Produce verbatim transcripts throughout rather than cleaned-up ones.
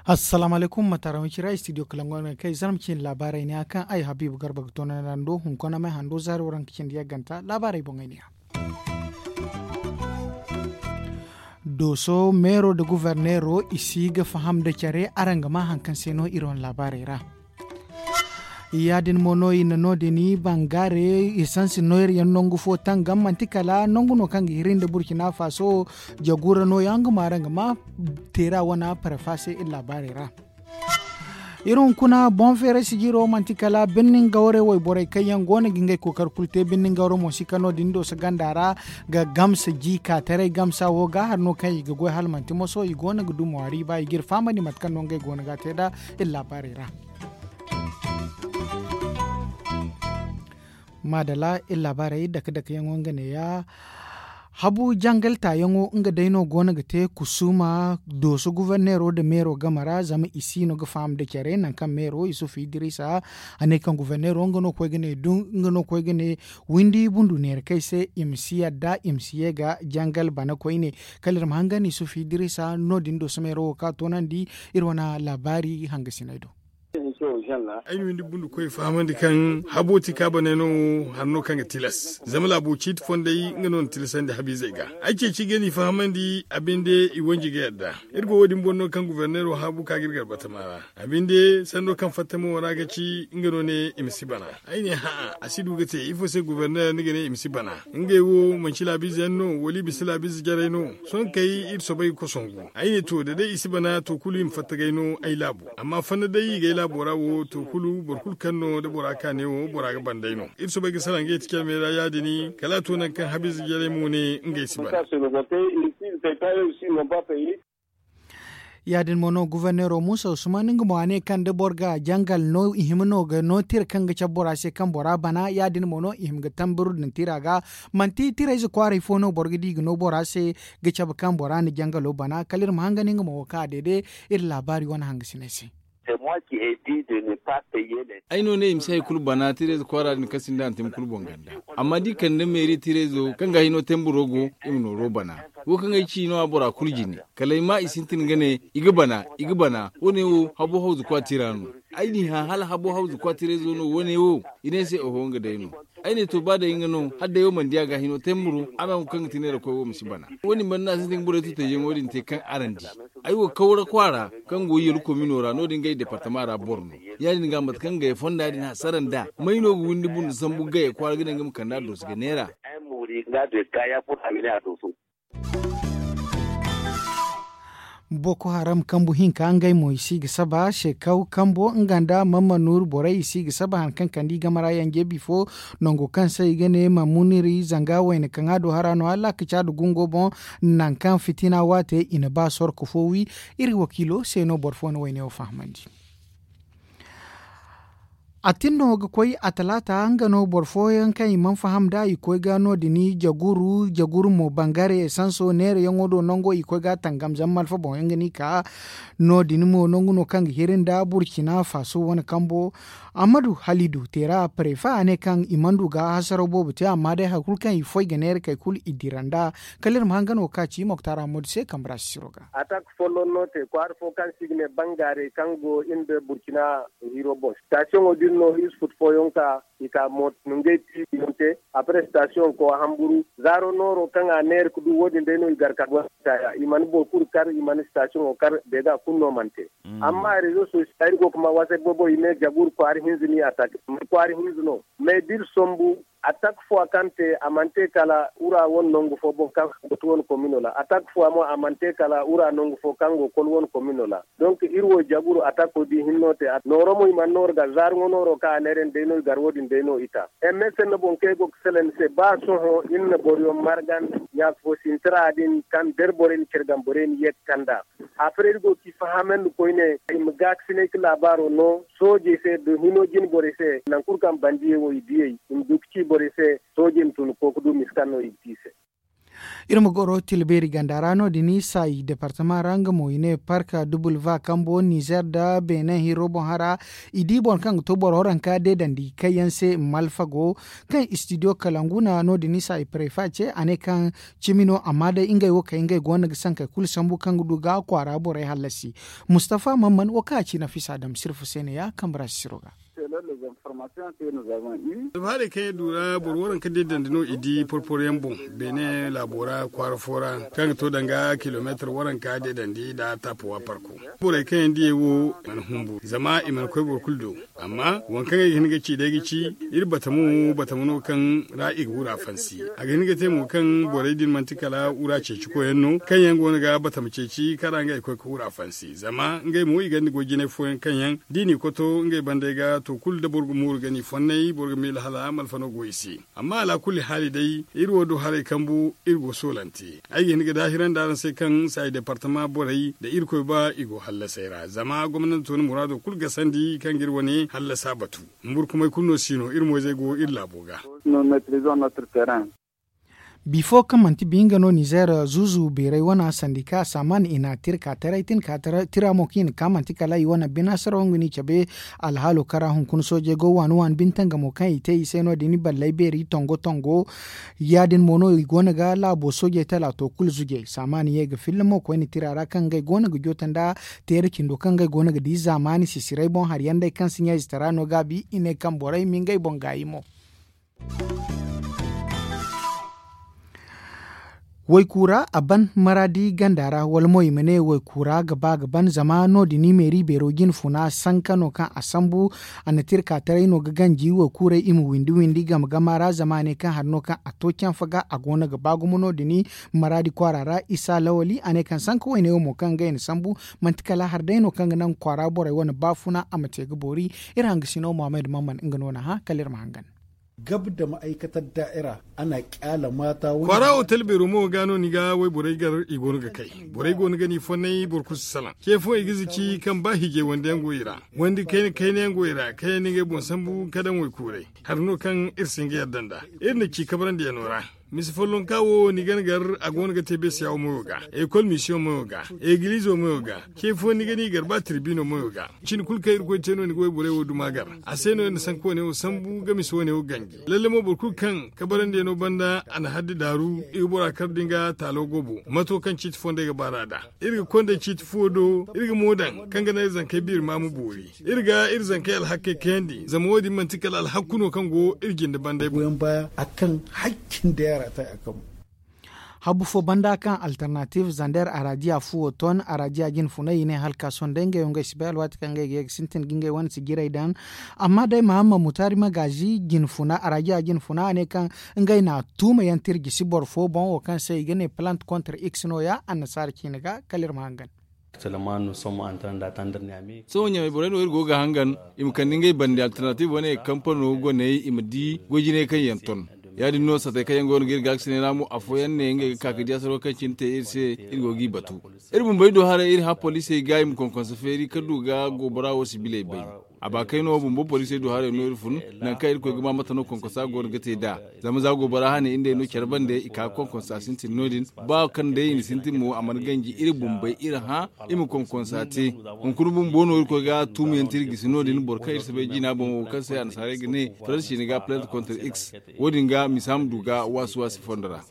Assalaamu alaykum, ma tara ma cira studio kalango no kay zarma cindi laabaarey ne a kaŋ ay habiibu garba ga toonandi hunkuna may hando zaari waranka cindi yagganta laabaarey boŋey ne ya. Dooso meero nda guverneero i si ga faham nda care araŋ ga ma hari kaŋ se no iri wane laabaarey ra. Ya- din mo no i na no- din bangaare esansi nooyar yaŋ nangu fo tangam manti kala nangu no kaŋ ga hiri nda burkina faso jagu ra nooyaŋ nga ma araŋ ga ma teera wane parfa se iri laabaarey ra. Iri hunkuna boŋ feeray sijiro manti kala birnin gawre wayborey kaŋ yaŋ go no ga ngey kookari kulu te birnin gawre mo si ka no- din do si ganda ra ga gamsa ji ka taray gamsa wo ga hari no kaŋ i ga goy hala manti moso i go no ga dumo hari ba i ga iri fahamandi mate kaŋ no ngey go no ga te nd'a iri laabaarey ra. Maadala iri laabaarey dake dake yaŋo nga neeya. Habu jangal taayaŋo nga day no go no ga te kusuuma dooso guverneero nda meero game ra zama i si no ga faham nda care nangu kaŋ meero yusuf idiriisa a ne kaŋ guverneero nga no koy ga ne windi bundu neera kaŋ ay se i ma si yadda i ma si ye ga jangal bana koyne. Kala iri ma hangan yusuf idiriisa no- din dooso meero wo kaŋ a toonandi iri wane laabaari hangasiney do. Ay na windi bundu koy fahamandi kaŋ habo ti kaabaney no hari no kaŋ ga tilas zama laabo ciiti fondey nga no na tilasandi habiizey ga. Ay ceeci ga ni fahamandi a binde i wanji ga yadda. Iri go wo- din boŋ no kaŋ guverneero haabu ka ga iri garbatama ra. A binde sanno kaŋ fatta mo ra ga ci nga no ne i ma si bana. Ay ne hã'a a si du ga te ifo se guverneer ni ga ne i ma si bana? Ngey wo manci laabiize yaŋ no wala i bisa laabiize jarey no? Sohõ kay iri soobay ga kosongu. Ay ne to da day i si bana to kulu i ma fatta g'ay no ay laabo. Amma fanna day i g'ay laabo ra wo to kulu boro kulu kaŋ no da bora ka ne wo bora ga ban day no. Iri soobay ga salaŋ ga yeti calmey ra ya- din kala a to nangu kaŋ habiize jarey mo ne ngey si bana. Ya- din mo no guverneero muusa usman nga mo a ne kaŋ da boro ga jangal no i hima no ga no tira kaŋ ga cabe bora se kaŋ bora bana ya- din mo no i hima ga tamburu din tira ga. Manti tirayze kwaaray fo no boro ga di ga no bora se ga cabe kaŋ bora na jangalo bana kala iri ma hangan nga mo wo kaŋ a deede iri laabaari wane hangasiney se. Ay no ne i ma si hari kulu bana tirayze kwaara din kaŋ sinda hantum kulu boŋ ganda. Amma da i kande meeri tirayzo kaŋ ga hino temburo go i ma nooro bana. Wo kaŋ ay ci no a bora kulu jine kala ay ma i sintin ga ne i ga bana i ga bana wo- ne wo habo hawzu kwa tira no. Ay n'i hã hala habo hawzu kwa tirayzo no wo- ne wo i ne ay se oho nga day no. Ay ne to ba day nga no hala day wo mana di a ga hino temburo araŋ wo kaŋ ga ti neera koy wo ma si bana. Wo- din banda no a sintin ga borey tutayyaŋo din te kaŋ araŋ di. Ay wo kawra kwaara kaŋ go yalko mino ra no- din ga ay departama ra boro no. Ya- din ga mate kaŋ gaya fonda din hasara nd'a may no ga windi bunda sambu gaya kwaara ga ne nga ma kand'a dooso ga neera. Boko haram kambu hinka ngey mo i si ga saba sekaw kambo nga nda mamma nuuru borey i si ga saba hari kaŋ kande i game ra yanje bifo. Nango kaŋ se i ga ne mamuniri zanga wayna kaŋ a du hara no hala a ga caadu gungo boŋ. Nangu kaŋ fitina waate i na ba sorko fo wi. Iri wakiilo se no boro fo na wayne wo fahamandi. A tin no ga koy a talaata nga no boro fooyaŋ kaŋ i mana faham nd'a i koy ga no- din jaguru jaguru mo bangare esanso neerayaŋo do nango i koy ga a tangam zama malfa boŋ yaŋ ga ni ka. No- din mo nangu no kaŋ ga hiri nda burkina faso wane kambo. Amadu halidu teera prefe a ne kaŋ i mana du ga hasaraw boobo te amma day hari kulu kaŋ i foy ga neera kay kulu i dira nd'a. Kala iri ma hangan wo kaŋ a ci moktar amadu se kambe ra sisiro ga. Atak folloŋ no te kwaara fo kaŋ se i ga ne bangaarey kaŋ go iri nda burkina hiro boŋ sitasiyoŋo din no iri si futu fooyaŋ ka i ka mooto nungey tiibi yaŋ te. Apre sitasiyoŋ ko a hamburu zaaro nooro kaŋ a neera ga du wo- din day no i gar ka gonda i mana boro kulu kar i mana sitasiyoŋo kar beega kulu no mana te. Amma rezo sosiyal iri go ga ma wasa boobo i ne jagur kwaara hinza ni atak kwaara hinza no. Mais da iri sombu atak fo kaŋ te a mana te kala wura wane nangu fo boŋ kaŋ go ti wane komino ra atak fo mo a mana te kala wura nangu fo kaŋ go kol wane komino ra. Donc iri wo jaguru atako di hinno te nooro mo i mana nooru ga zaari ŋo nooro kaŋ a neera ni day no i gar wo- din day no i ta. Msn boŋ kaŋ ay go ga salaŋ ni se ba sohõ iri na boroyaŋ margan ɲaaka fo sintira din kaŋ da iri borey na care gamborey na ye ga kand'a. Aferey iri go ga i fahamandi koyne i ma gaakasinay ga laabaaro no soojey se da hino jine borey se nangu kulu kaŋ bandiyey wo i diyey i ma du ga ci borey se. Soojey ma tun ga koy ga du misa kaŋ no i ga te i se. Iri ma goro tilbeeri ganda ra no- din i saayi departama ra nga mo i ne park dubulva kambo nizer nda benin hiro boŋ hara. I di boro kaŋ ga to boro waranka deedandi kaŋ yaŋ se malfago kaŋ istidiyo kalangu na no- din i saayi parefa ce a ne kaŋ cimi no amma day ngey wo kay ngey go no ga sankey kulu sambu kaŋ ga du ga kwaara borey hallasi. Mustafa mamman wo kaŋ a ci nafisa dam sirfu se ne ya kambe ra sisiro ga. Alfahaarey kaŋ yaŋ du ra boro waranka deedandi no i di porporo yaŋ boŋ beene laabo ra kwaara fo ra kaŋ ga to danga kilomeetar waranka deedandi nda taapowa parko. Borey kaŋ yaŋ diyey wo mana humbu zama i mana koy boro kulu do. Amma waŋ kaŋ ay ga hin ga ci day ga ci iri batamo batamo no kaŋ ra i ga wura fansi. A ga hin ga te mo kaŋ borey din manti kala wura ceeci koyyaŋ no kaŋ yaŋ go no ga batama ceeci kaŋ ra ngey ga koy ga wura fansi zama ngey mo i gonda goy jinay fooyaŋ kaŋ yaŋ da i n'i koto ngey bandey ga to kulu da boro ga mooru ga n'i fonnay boro ga miila hala malfa no go i se. Amma alaakulli haali day iri wo du haray kambu iri go soolante. Ay ga hin ga daahirandi araŋ se kaŋ saayi departama borey nda irkoy ba i go hallasey ra zama gomnanto na muraado kulu gasandi kaŋ ga iri wane hallasa batu. Humburkumay kulu no si no iri moyzey go iri laabo ga. Bifo kaŋ manti bi nga no nizer zuuzu beeray wana sandika saaman i na tir ka taray tin ka tira mo kaŋ i na ka manti kala i wana bina saraw nga no i cabe. Alhaalo kaŋ ra hunkuna soojey go waani waani bintangamo kaŋ i te i se no- din i balley beeri tongo tongo. Ya- din mo no i go no ga laabo soojey talaato kulu zujey saaman ye ga filla mo koyne tira ra kaŋ ngey go no ga joota nda teera cindo kaŋ ngey go no ga di zaamaani sisiray boŋ hari yaŋ day kaŋ si ɲa ize tara no gaabi i ne kaŋ borey ma ngey boŋ gaayi mo. Waykuura a ban maraadi ganda ra wala mo i ma ne waykuura ga ba ga ban zama no- din i meeri beero jine funa sanka no kaŋ a sambu. A na tirka taray no ga ganji waykuurey i ma windi windi game gama ra zama a ne kaŋ hari no kaŋ a to canfa ga a go no ga ba gumo no- din i maraadi kwaara ra isa lawali a ne kaŋ sanka wayne wo mo kaŋ ga i na sambu. Manti kala hari day no kaŋ ga naŋ kwaara borey wane baafuna a ma te ga boori. Iri hanga sino muhammad mamman nga no na hã kala iri ma hangan. Gab da ma'aikatar da'ira ana kyala mata wani kwaara otel beero mo ga no ni ga wayborey gar i go no ga kay. Borey go no ga ni fonnay boro kulu si salaŋ ce fo i ga zici kaŋ ba hiijay wande yaŋ go i ra. Wandi kayna kayna yaŋ go i ra kaŋ yaŋ ni ga ay boŋ sambu ka daŋ waykuuray. Hari no kaŋ iri si hin ga yadda nd'a. Iri na ci kabrandi yaŋo ra. Mise follonka wo ni ga ni gar a go no ga te beesiya wo mayo ga, ekol misiyoŋ mayo ga, egiliizo mayo ga. Ce fo ni ga ni gar ba tirbino mayo ga. Cin kulu kaŋ irkoy te no ni ga wayborey wo duma gar. A se no iri na sanka wane wo sambu ga mise wane wo ganji. Lalle mo boro kulu kaŋ kabarandiyaŋo banda a na haddi daaru i ga bora kar da nga taalo gobo mato kaŋ ciiti fondey ga baar'a nd'a. Iri ga kondey ciiti fo do iri ga mo daŋ kaŋ ga naŋ iri zankey biiri ma ma boori. Iri ga iri zankey alhakkey kayandi zama wo- din manti kala alhakku no kaŋ go iri jinde bandey boŋ. Goyon baya a kaŋ hakkin da yaara ta a kaŋ. Habu fo banda kaŋ alternative zander arajiya fuwo ton arajiya jine funay i ne hala ka sohõ day ngey wo ngey si bay alwaati kaŋ ngey ga ye ga sintin ga ngey wane si jirey daŋ. Amma day mahamma mutaari magaazi jine funa arajiya jine funa a ne kaŋ ngey na tuuma yaŋ tira jisi boro fo boŋ wo kaŋ se i ga ne plant contre x no- ya annasaara ciine ga kala iri ma hangan. Sohõ ɲamey borey no iri go ga hangan i ma kande ngey bande alternative wane kampano goney i ma di goy jinay kaŋ yaŋ ton. Ya- din no satey kaŋ yaŋ go no ga iri gaakasinay ra mo afooyaŋ ne ngey ga ka ga di asaro kaŋ cine te iri se. Iri go g'i batu iri bumbey do haray iri hã poliisey ga i ma konkonsa feeri ka du ga goobora wo sibiley bay. A ba kay no bumbo poliisey do haray no iri fun nangu kaŋ irkoy ga ma mate no konkonsa go no ga te nd'a. Zama za goobora hane iri nd'ey no care bande i ka ga konkonsa sintin no- din. Ba kaŋ day i na sintin mo a mana ganji iri bumbey iri hã i ma konkonsa te. Hunkuna bumbo no irkoy ga tuumiyaŋ te iri gisi no- din boro kaŋ iri si bay jina boŋ wo kaŋ se annasaarey ga ne faransi ciine ga plante contre x. Wo- din ga misa ma du ga waasi waasi fondo ra.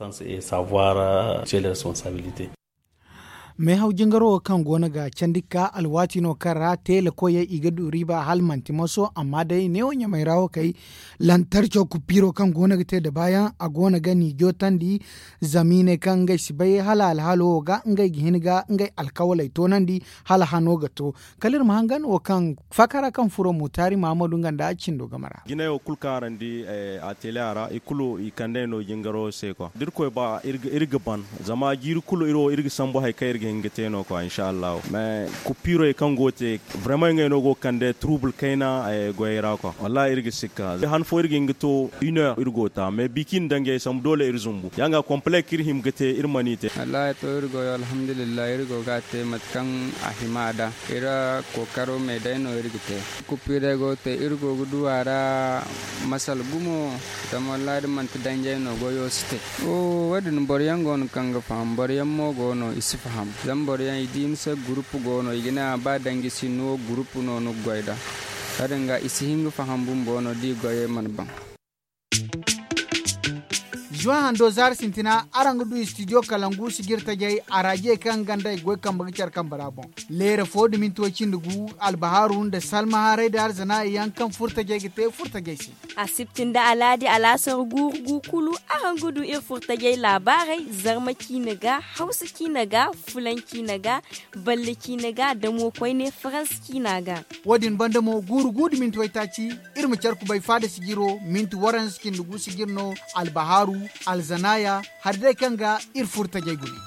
Meehaw jingaro wo kaŋ go no ga candi ga ka alwaati no kaŋ ra teelakoyey i ga du riiba hala manti moso amma day neewo ɲamey ra wo kay. Lantarco kupiiro kaŋ go no ga te dabaayaŋ a go no ga ni jootandi. Zama i ne kaŋ ngey si bay hala alhaalo wo ga ngey ga hin ga ngey alkawaley toonandi hala hano ga to. Kala iri ma hangan wo kaŋ fakara kaŋ furo mutaari mahamadu nga nda cindo game ra. Jinay wo kulu kaŋ araŋ di a teele a ra i kulu i kand'ey no jingaro se kwa da irkoy ba iri ga ban zama jiiri kulu iri wo iri ga sambu hari kaŋ iri ga Nga te no kwa insha allahu mais kuppiirey kaŋ go ga te, vraiment ngey no go ga kande trouble kayna goyey ra kwa. Wallahi iri ga sikka han fo iri ga hin ga to une heure iri go ga ta mais bi kaŋ iri na daŋ ngey sambu doole iri zumbu ya nga complet kaŋ iri hima ga te iri mana i te. Wallahi to iri goyo alhamdulillahi iri go ga a te mate kaŋ a hima a da. Iri kookaro me day no iri ga te. Kuppiirey go ga te iri go ga du a ra. Masala gumo. Zama wallahi da manti danjey no goyo si te. Wo- din boro yaŋ go no kaŋ ga faham boro yaŋ mo go no i si faham zama boro yaŋ i di ni se gurupu go no i ga ne a ba danji sinni wo gurupu no ni ga goy nd'a. Ya- din ga i si hin ga faham bumbo no da i goyey mana baŋ. Zuwan hando zaari sintina araŋ ga du istidiyo kalangu sijiri tajey araajiyey kaŋ ganda i goy kambe ga care kambe ra boŋ. Leere fo nda minti way cindi gu albahaaru nda salma haray nda arzana yaŋ kaŋ furtajey ga te furtajey se. Asibti nda alaadi alaasar guuru gu kulu araŋ ga du iri furtajey laabaarey, zarma ciine ga, hawsa ciine ga, fulaŋ ciine ga, balle ciine ga da mo koyne faransa ciina ga. Wo- din banda mo guuru gu nda minti waytaaci, iri ma care kubay faada sijiro minti waranza cindi gu sijir no. Albahaaru, alzanaaya, hari day kaŋ ga iri furtajey gune.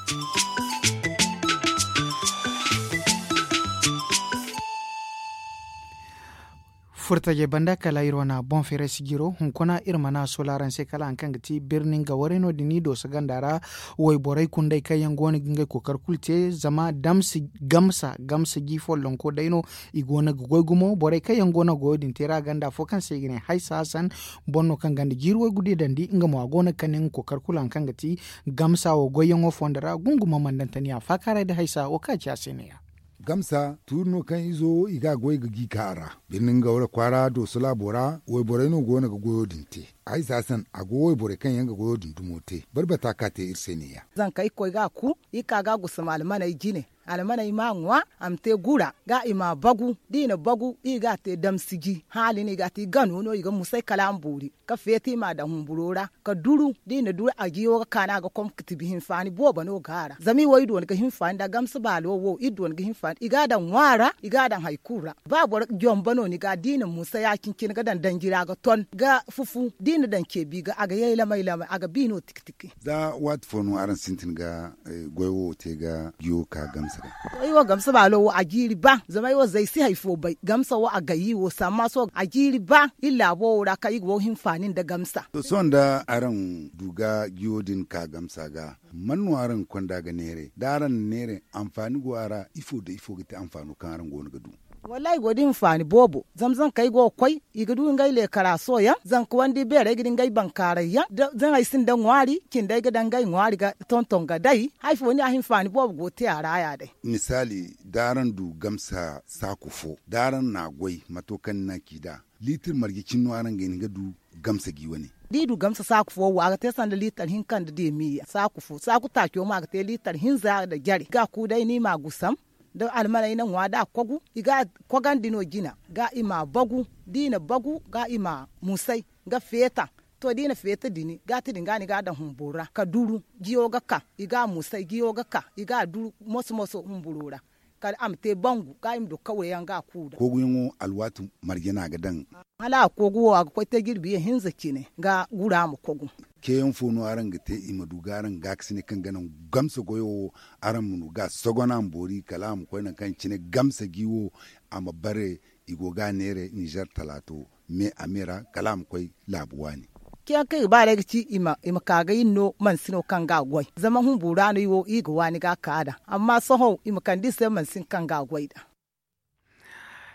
Furtajey banda kala iri wane boŋ feeray sijiro hunkuna iri mana sola araŋ se kala hari kaŋ ga ti birni nga warey no- din i dooso ganda ra. Wayborey kundey kaŋ yaŋ go no ga ngey kookari kulu te zama damsi gamsa gamsa ji follonko day no. I go no ga goy gumo borey kaŋ yaŋ go no ga goyo din te ra ganda afo kaŋ se i ga ne haysa hasan. Boro no kaŋ ganda jiiri waygu di dandi nga mo a go no ga kande nga kookari kulu hari kaŋ ga ti gamsa wo goyyaŋo fondo ra gunguma mandantaniya faakaaray nda haysa wo kaŋ a ci a se ne- ya. Gamsa tuuri no kaŋ izo wo i ga a goy ga gi ka a ra. Birni nga wara kwaara dooso laabo ra wayborey no go no ga goyo din te. Haysa hasan a go wayborey kaŋ yaŋ ga goyo din dumo te barbata ka te iri se ne- ya. Zanka irkoy ga a ku, i ka ga a gusum almaney jine. Almaney ma a ŋwa a ma te gura ga i ma a bagu da i na bagu i ga a te damsiji haali no i ga a te i gano no i ga musay kala a ma boori. Ka feeti i ma a daŋ humburo ra ka duru da i na duru a jiyo ga ka no a ga kom ka tibi hinfaani boobo no ga a ra zama i wo i dooni ga hinfaani nda gamsa baalo wo iri dooni ga hinfaani i ga a daŋ ŋwa ra i ga a daŋ hari kulu ra. Ba boro jomba no ni ga da i na musa ya- cine ga daŋ danji ra ga ton ga fufu da i na daŋ ceebi ga a ga yay lamay lamay a ga bi no tiki tiki. Za waati fo no araŋ sintin ga goy wo te ga jiyo ka gamsa ga? Ay wo gamsa baalo wo a jiiri ba zama ay wo zay si hari fo bay gamsa wo a gay i wo samma sohõ a jiiri ba iri laabo wo ra kaŋ i ga wo hinfaani nda gamsa. To sohõ nda araŋ du ga jiyo din ka gamsa ga man no araŋ ga konda ga neeray da araŋ na neeray? Anfaani go a ra ifo nda ifo ga ti anfaano kaŋ araŋ go no ga du? Wallaahi go da hinfaani boobo zama zankey go ga koy i ga du ngey leekaraso yaŋ zanka wandi beerey ga di ngey bankaaray yaŋ da zaŋey sinda ŋwaari cindey ga daŋ ngey ŋwaari ga tonton ga day hari fo ni a hinfaani boobo go te a ra ya day. Misaali da araŋ du gamsa saaku fo da araŋ na a goy mato kaŋ ni na ci nd'a liitir marje cine no araŋ ga hin ga du gamsa gi wane? Da i du gamsa saaku fo wo a ga te sanda liitar hinka nda deemiya saaku fo saaku taaco mo a ga te liitar hinza nda jare ga a ku day no i ma a gusam da almaney na ŋwa da a kogu i ga a kogandi no jina ga i ma a bagu da i na bagu ga i ma a musay ga feeta. To da i na feeta dini gaati din ga no i ga a daŋ humburu ra ka duru jiyo ga ka i ga a musay jiyo ga ka i ga a duru moso moso humburu ra kala a ma te bangu ga i ma du kawyaŋ ga a ku da. Koguyaŋo alwaati marje no a ga daŋ? Hala a kogu wo a ga koy te jirbi ye hinza cine ga gura ma kogu. Ceeyaŋ fo no araŋ ga te i ma du ga araŋ gaakasinay kaŋ ga naŋ gamsa goyo wo araŋ ma no ga a sogon a ma boori kala a ma koy nangu kaŋ cine gamsa gi wo a ma bare. I go ga a neeray nizer talaato me a me ra kala a ma koy laabu waani. Ceeyaŋ kaŋ i ga ba day ga ci i ma ka ga iri no mansi no kaŋ ga a goy zama humbu ra no i wo i ga waani ga a ka daŋ amma sohõ i ma kande i se mansin kaŋ ga a goy daŋ.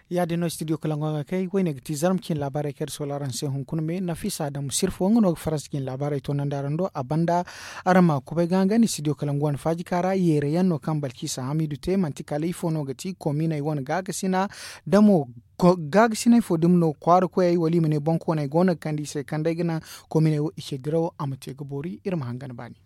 Ya- din no studio kalango ga kay wayne ga ti zarma cine laabaarey kaŋ iri soola araŋ se hunkuna me nafisa adamu sirfo nga no ga faransa cine laabaarey toonandi araŋ do a banda. Araŋ ma kubay ga nga ni studio kalango wane faaji ka ra yeere yaŋ no kaŋ balkisa hamidu te manti kala ifo no ga ti kominey wane gaakasina da mo gaakasinay fo dumi no kwaara koyey wala i ma ne boŋ kooney go no ga kande i se kaŋ day ga naŋ kominey wo i ce dirawo a ma te ga boori iri ma hangan baani.